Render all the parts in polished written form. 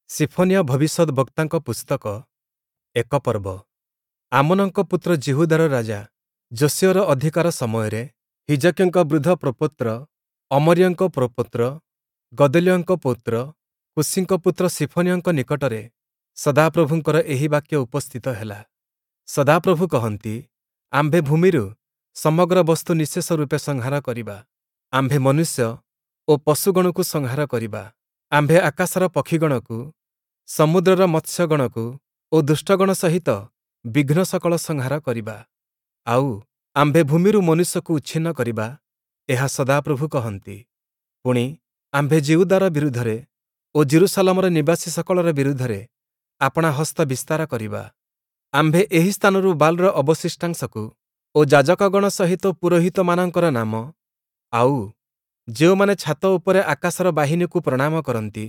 ସିଫନିୟ ଭବିଷ୍ୟଦ୍‌ବକ୍ତାଙ୍କ ପୁସ୍ତକ, ଏକ ପର୍ବ। ଆମୋନଙ୍କ ପୁତ୍ର ଯିହୁଦାର ରାଜା ଯୋଶୀୟର ଅଧିକାର ସମୟରେ ହିଜକିୟଙ୍କ ବୃଦ୍ଧ ପ୍ରପୌତ୍ର, ଅମରୀୟଙ୍କ ପ୍ରପୌତ୍ର, ଗଦଲିୟଙ୍କ ପୌତ୍ର, କୂଶୀଙ୍କ ପୁତ୍ର ସିଫନିୟଙ୍କ ନିକଟରେ ସଦାପ୍ରଭୁଙ୍କର ଏହି ବାକ୍ୟ ଉପସ୍ଥିତ ହେଲା। ସଦାପ୍ରଭୁ କହନ୍ତି, ଆମ୍ଭେ ଭୂମିରୁ ସମଗ୍ର ବସ୍ତୁ ନିଃଶେଷ ରୂପେ ସଂହାର କରିବା। ଆମ୍ଭେ ମନୁଷ୍ୟ ଓ ପଶୁଗଣକୁ ସଂହାର କରିବା। ଆମ୍ଭେ ଆକାଶର ପକ୍ଷୀଗଣକୁ, ସମୁଦ୍ରର ମତ୍ସ୍ୟଗଣକୁ ଓ ଦୁଷ୍ଟଗଣ ସହିତ ବିଘ୍ନ ସକଳ ସଂହାର କରିବା। ଆଉ, ଆମ୍ଭେ ଭୂମିରୁ ମନୁଷ୍ୟକୁ ଉଚ୍ଛିନ୍ନ କରିବା, ଏହା ସଦାପ୍ରଭୁ କହନ୍ତି। ପୁଣି, ଆମ୍ଭେ ଯିହୁଦାର ବିରୁଦ୍ଧରେ ଓ ଯିରୂଶାଲମର ନିବାସୀ ସକଳର ବିରୁଦ୍ଧରେ ଆପଣା ହସ୍ତ ବିସ୍ତାର କରିବା। ଆମ୍ଭେ ଏହି ସ୍ଥାନରୁ ବାଲ୍‌ର ଅବଶିଷ୍ଟାଂଶକୁ ଓ ଯାଜକଗଣ ସହିତ ପୁରୋହିତମାନଙ୍କର ନାମ, ଆଉ, ଯେଉଁମାନେ ଛାତ ଉପରେ ଆକାଶର ବାହିନୀକୁ ପ୍ରଣାମ କରନ୍ତି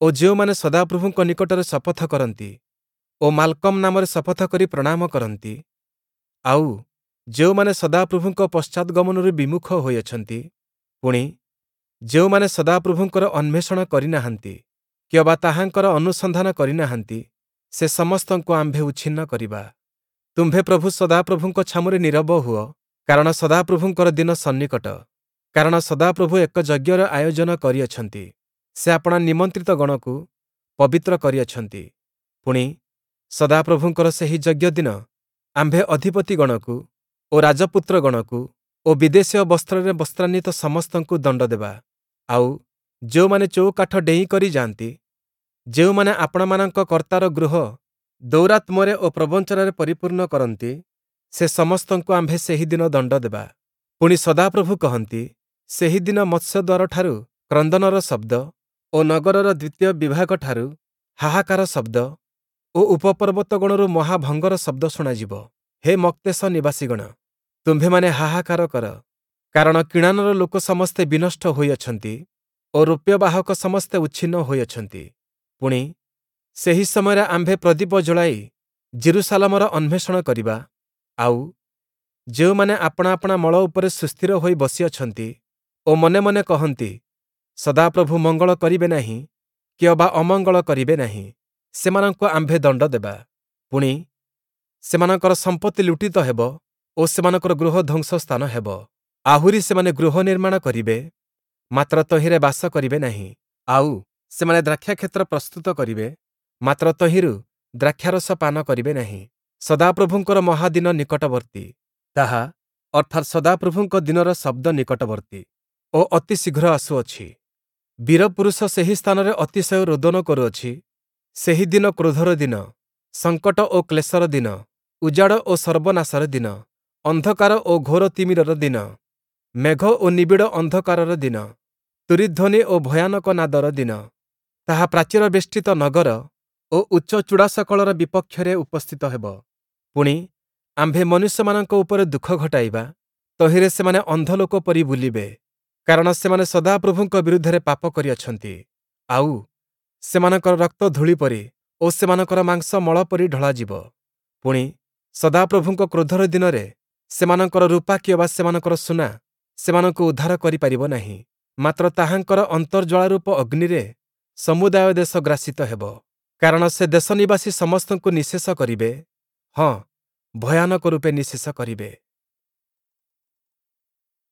ଓ ଯେଉଁମାନେ ସଦାପ୍ରଭୁଙ୍କ ନିକଟରେ ଶପଥ କରନ୍ତି ଓ ମାଲ୍‌କମ୍ ନାମରେ ଶପଥ କରି ପ୍ରଣାମ କରନ୍ତି, ଆଉ, ଯେଉଁମାନେ ସଦାପ୍ରଭୁଙ୍କ ପଶ୍ଚାଦ୍‌ଗମନରୁ ବିମୁଖ ହୋଇଅଛନ୍ତି, ପୁଣି, ଯେଉଁମାନେ ସଦାପ୍ରଭୁଙ୍କର ଅନ୍ୱେଷଣ କରିନାହାନ୍ତି କିଅବା ତାହାଙ୍କର ଅନୁସନ୍ଧାନ କରିନାହାନ୍ତି, ସେ ସମସ୍ତଙ୍କୁ ଆମ୍ଭେ ଉଚ୍ଛିନ୍ନ କରିବା। ତୁମ୍ଭେ ପ୍ରଭୁ ସଦାପ୍ରଭୁଙ୍କ ଛାମୁରେ ନୀରବ ହୁଅ, କାରଣ ସଦାପ୍ରଭୁଙ୍କର ଦିନ ସନ୍ନିକଟ। କାରଣ ସଦାପ୍ରଭୁ ଏକ ଯଜ୍ଞର ଆୟୋଜନ କରିଅଛନ୍ତି, ସେ ଆପଣା ନିମନ୍ତ୍ରିତ ଗଣକୁ ପବିତ୍ର କରିଅଛନ୍ତି। ପୁଣି, ସଦାପ୍ରଭୁଙ୍କର ସେହି ଯଜ୍ଞ ଦିନ ଆମ୍ଭେ ଅଧିପତିଗଣକୁ ଓ ରାଜପୁତ୍ରଗଣକୁ ଓ ବିଦେଶୀୟ ବସ୍ତ୍ରରେ ବସ୍ତ୍ରାନ୍ୱିତ ସମସ୍ତଙ୍କୁ ଦଣ୍ଡ ଦେବା। ଆଉ, ଯେଉଁମାନେ ଚଉକାଠ ଡେଇଁ କରି ଯାଆନ୍ତି, ଯେଉଁମାନେ ଆପଣାମାନଙ୍କ କର୍ତ୍ତାର ଗୃହ ଦୌରାତ୍ମ୍ୟରେ ଓ ପ୍ରବଞ୍ଚନାରେ ପରିପୂର୍ଣ୍ଣ କରନ୍ତି, ସେ ସମସ୍ତଙ୍କୁ ଆମ୍ଭେ ସେହି ଦିନ ଦଣ୍ଡ ଦେବା। ପୁଣି ସଦାପ୍ରଭୁ କହନ୍ତି, ସେହି ଦିନ ମତ୍ସ୍ୟଦ୍ୱାରଠାରୁ କ୍ରନ୍ଦନର ଶବ୍ଦ ଓ ନଗରର ଦ୍ୱିତୀୟ ବିଭାଗଠାରୁ ହାହାକାର ଶବ୍ଦ ଓ ଉପପର୍ବତଗଣରୁ ମହାଭଙ୍ଗର ଶବ୍ଦ ଶୁଣାଯିବ। ହେ ମକ୍ତେଶ ନିବାସୀଗଣ, ତୁମ୍ଭେମାନେ ହାହାକାର କର, କାରଣ କିଣାନର ଲୋକ ସମସ୍ତେ ବିନଷ୍ଟ ହୋଇଅଛନ୍ତି ଓ ରୌପ୍ୟବାହକ ସମସ୍ତେ ଉଚ୍ଛିନ୍ନ ହୋଇଅଛନ୍ତି। ପୁଣି, ସେହି ସମୟରେ ଆମ୍ଭେ ପ୍ରଦୀପ ଜଳାଇ ଯିରୂଶାଲମର ଅନ୍ୱେଷଣ କରିବା, ଆଉ, ଯେଉଁମାନେ ଆପଣା ଆପଣା ମଳ ଉପରେ ସୁସ୍ଥିର ହୋଇ ବସିଅଛନ୍ତି ଓ ମନେ ମନେ କହନ୍ତି, ସଦାପ୍ରଭୁ ମଙ୍ଗଳ କରିବେ ନାହିଁ କିଅବା ଅମଙ୍ଗଳ କରିବେ ନାହିଁ, ସେମାନଙ୍କୁ ଆମ୍ଭେ ଦଣ୍ଡ ଦେବା। ପୁଣି, ସେମାନଙ୍କର ସମ୍ପତ୍ତି ଲୁଣ୍ଠିତ ହେବ ଓ ସେମାନଙ୍କର ଗୃହ ଧ୍ୱଂସ ସ୍ଥାନ ହେବ। ଆହୁରି ସେମାନେ ଗୃହ ନିର୍ମାଣ କରିବେ, ମାତ୍ର ତହିଁରେ ବାସ କରିବେ ନାହିଁ। ଆଉ, ସେମାନେ ଦ୍ରାକ୍ଷାକ୍ଷେତ୍ର ପ୍ରସ୍ତୁତ କରିବେ, ମାତ୍ର ତହିଁରୁ ଦ୍ରାକ୍ଷାରସ ପାନ କରିବେ ନାହିଁ। ସଦାପ୍ରଭୁଙ୍କର ମହାଦିନ ନିକଟବର୍ତ୍ତୀ। ତାହା, ଅର୍ଥାତ୍ ସଦାପ୍ରଭୁଙ୍କ ଦିନର ଶବ୍ଦ ନିକଟବର୍ତ୍ତୀ ଓ ଅତି ଶୀଘ୍ର ଆସୁଅଛି। ବୀରପୁରୁଷ ସେହି ସ୍ଥାନରେ ଅତିଶୟ ରୋଦନ କରୁଅଛି। ସେହି ଦିନ କ୍ରୋଧର ଦିନ, ସଙ୍କଟ ଓ କ୍ଲେଶର ଦିନ, ଉଜାଡ଼ ଓ ସର୍ବନାଶର ଦିନ, ଅନ୍ଧକାର ଓ ଘୋର ତିମିରର ଦିନ, ମେଘ ଓ ନିବିଡ଼ ଅନ୍ଧକାରର ଦିନ, ତୂରୀଧ୍ୱନି ଓ ଭୟାନକ ନାଦର ଦିନ। ତାହା ପ୍ରାଚୀରବେଷ୍ଟିତ ନଗର ଓ ଉଚ୍ଚ ଚୂଡ଼ାସକଳର ବିପକ୍ଷରେ ଉପସ୍ଥିତ ହେବ। ପୁଣି, ଆମ୍ଭେ ମନୁଷ୍ୟମାନଙ୍କ ଉପରେ ଦୁଃଖ ଘଟାଇବା, ତହିଁରେ ସେମାନେ ଅନ୍ଧ ଲୋକ ପରି ବୁଲିବେ, କାରଣ ସେମାନେ ସଦାପ୍ରଭୁଙ୍କ ବିରୁଦ୍ଧରେ ପାପ କରିଅଛନ୍ତି। ଆଉ, ସେମାନଙ୍କର ରକ୍ତ ଧୂଳି ପରି ଓ ସେମାନଙ୍କର ମାଂସ ମଳ ପରି ଢଳାଯିବ। ପୁଣି, ସଦାପ୍ରଭୁଙ୍କ କ୍ରୋଧର ଦିନରେ ସେମାନଙ୍କର ରୂପା କିଅବା ସେମାନଙ୍କର ସୁନା ସେମାନଙ୍କୁ ଉଦ୍ଧାର କରିପାରିବ ନାହିଁ, ମାତ୍ର ତାହାଙ୍କର ଅନ୍ତର୍ଜ୍ୱାଳାରୂପ ଅଗ୍ନିରେ ସମୁଦାୟ ଦେଶ ଗ୍ରାସିତ ହେବ। କାରଣ ସେ ଦେଶନିବାସୀ ସମସ୍ତଙ୍କୁ ନିଃଶେଷ କରିବେ, ହଁ, ଭୟାନକ ରୂପେ ନିଃଶେଷ କରିବେ।